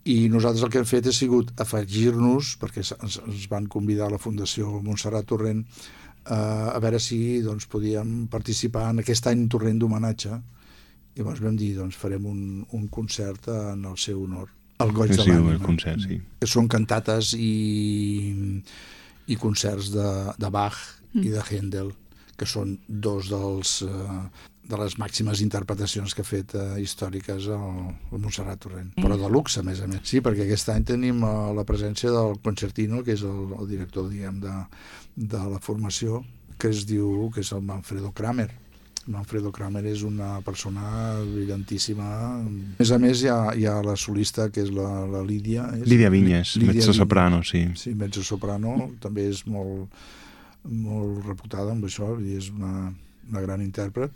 I nosaltres el que hem fet ha sigut afegir-nos, perquè ens van convidar a la Fundació Montserrat Torrent a veure si doncs, podíem participar en aquest any Torrent d'homenatge. I llavors vam dir, doncs farem un concert en el seu honor, el Goig de l'Ànima. El concert, sí. Que són cantates i concerts de Bach i de Händel, que són dos de les màximes interpretacions que ha fet històriques el Montserrat Torrent. Però de luxe, a més. Sí, perquè aquest any tenim la presència del concertino, que és el director, diguem, de la formació, que es diu, que és el Manfredo Kramer. Manfredo Kramer és una persona brillantíssima. A més, hi ha la solista, que és la Lídia. Lídia Vinyes, mezzosoprano, sí. Sí, mezzosoprano, també és molt reputada amb això, i és una gran intèrpret.